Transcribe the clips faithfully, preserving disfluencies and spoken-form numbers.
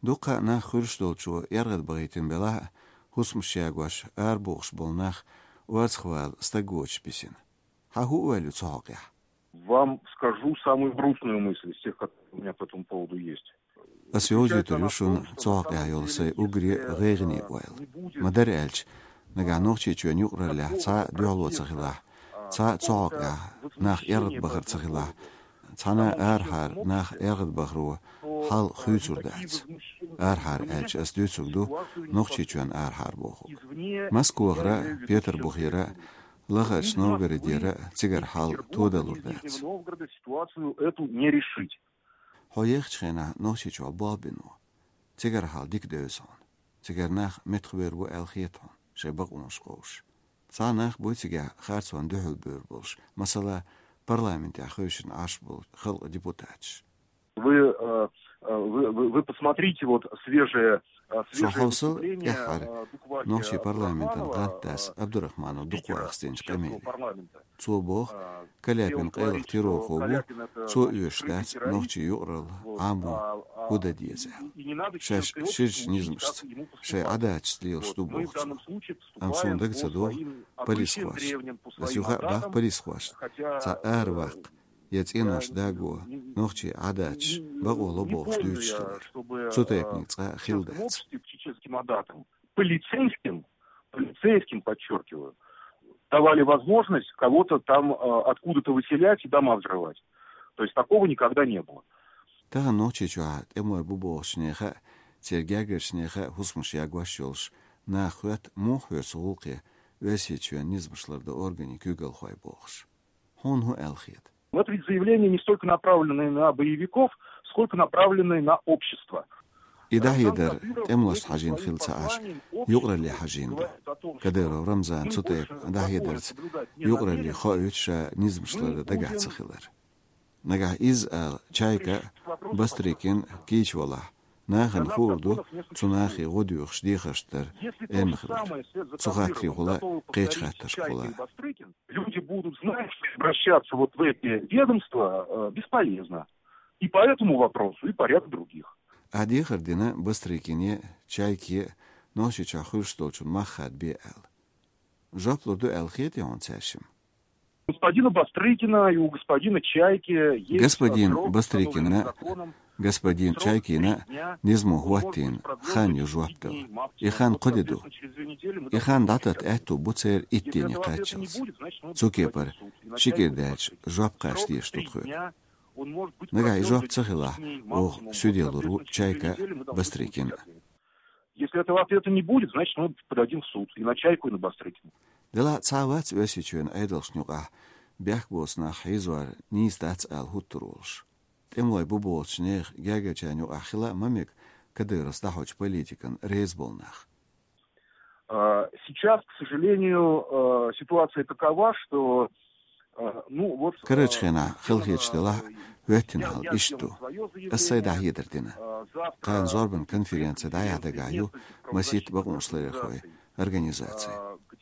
Дукха нах хуьлуш долчо яргӀад бахийтина белахь а, хӀусамаш ягош, арабохуш болу нах орцахвала стаг воцуш бисина. Хьан хӀу ойла ю цу хьокъехь? Вам скажу самую грустную мысль из тех, которые у меня по этому поводу есть. Ас йовзуьйтур ю шуна цу хьокъехь йолу сайн уггаре гӀайгӀане ойла. Ма-дарра аьлча, нагахь Нохчийчоьнан юкъараллехь цхьа а дуьхьало ца хилахь, цхьа а цу хьокъехь нах яргӀад бахар ца хилахь, цхьана а арахьара нах яргӀад бахаро хьал хуьйцур дац. Арахьара аьлча ас дуьйцург ду Нохчийчоьнан арахьара бохург. Москвахара, Петарбухера, Лахарчу Новгородера цигара хьал тодалур дац. Хьо ехачу хенахь Нохчийчохь болх бина ву. Цигара хьал дика девза хьуна. Цигара нах меттахвер ву аьлла хета хьуна, шайн бакъонаш кховуш. Цхьа нах буй цигахь харцонна дуьхьал бевр болуш, масала, парламентехь хевшина Ӏаш болу халкъан депутаташ. Вы, э, э, вы, вы, вы посмотрите, вот свежее, э, Шу свежее хьовсал выступление, тӀаьххьара э, Дуквахи Нохчийн парламентан Абдурахманова, гӀантдас Абдурахманов спикера Дукхахастинчу Нохчийского къамеле. Парламента. Цо боху, э, Каляпин къайлаха террорхо ву, цо оьшуш дац нохчийн юкъаралла Ӏамо хӀу дан деза аьлла. Шаьш ширачу низамашца, шайн Ӏадаташца лелаш ду боху цо. Амма суна дага ца догӀу полисхоша. Ас юха а боху полисхошна, цхьа араваккха я цӀенош даго, нохчийн Ӏадаташ бакъо ло бохуш дуьйцуш хилар. Цу тайпаниг цкъа а хилла дац. Полицейским, полицейским, подчеркиваю, давали возможность кого-то там, э, откуда-то выселять и дома взрывать. То есть такого никогда не было. Тахана Нохчийчохь тӀемалой бу бохучу нехан а, церан гергарчу нехан а хӀусамаш ягош йолуш наха хоьтту, муха хьоьру цу гӀуллакхе Оьрсийчоьнан низамаш лардан органийн куьйгалхой бохуш. Хьуна хӀун аьлла хета? Вот ведь заявление не столько направленное на боевиков, сколько направленное на общество. И дӀахьедар тӀемалошна хьажийна хилла ца Ӏаш, юкъаралле хьажийна ду. Кадыров Рамзана цу тайпа дӀахьедарца юкъаралле хоуьйту ша низамаш лардан дагахь ца хилар. Нагахь иза ала Чайка а, Бастрыкин а кийча валахь, нахана хуур ду цу нахе гӀо доьхуш дехарш дар эрна хилар. Цу хаттарехула кхечу хаттаршкахула. Люди будут знать, что обращаться вот в эти ведомства, э, бесполезно. И по этому вопросу, и по ряду других. Ахь дехар дина Бастрыкине, Чайке Нохчийчохь хуьлуш долчун мах хадабе аьлла. Жоп лур ду аьлла хетий хьуна цаьршимма? Господина Бастрыкина и у господина Чайки есть, э, срок, установленный законом. Господин Бастрыкина, господин Чайкина низамо хӀоттийна хан ю жоп дала. И хан кхо де ду. И хан дӀататта аьтту бу церан итт дийне кхаччалц. Цу кепара ши кӀира даьлча жоп кхача дезаш ду тхоьга. Нагахь и жоп ца хилахь, оха суьде лур ву Чайка а, Бастрыкин а. Если этого ответа не будет, значит, мы подадим в суд и на Чайку, и на Бастрыкина. Делахь цхьа а вац Оьрсийчоьнан Ӏедалшна юкъахь бехк боцу нах хьийзор нийса дац ала хӀуттур волуш. ТӀемалой бу бохучу нехан гергарчарна юкъахь хила а ма мега Кадыровс дӀахьочу политикана реза болу нах. А, сейчас, к сожалению, э, ситуация такова, что, э, ну, вот, э, Карарчу хенахь хала хеташ делахь, хӀоьттина хьал иштта ду. Ас сайн дӀахьедар дина. Кхана зорбанан конференци дӀаяхьа дагахь ю масийтта бакъонашларъярхойн организаций.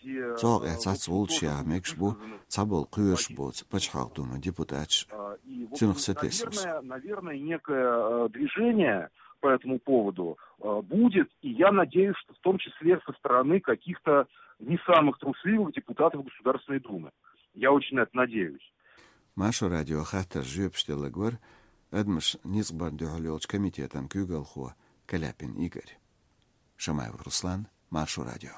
Цу хьокъехь цхьацца гӀулчаш яха мегаш бу цхьаболу кхоьруш боцу Пачхьалкхан Думан депутаташ а. Цунах сатесалц. Наверное, наверное, некое, э, движение по этому поводу, э, будет, и я надеюсь, что в том числе со стороны каких-то не самых трусливых депутатов Государственной Думы. Я очень на это надеюсь. Маршо радион хаттаршна жоьпаш делларг вара адамаш ницкъ барна дуьхьал йолчу комитетан куьйгалхо Каляпин Игорь. Шамаев Руслан, Маршо радио.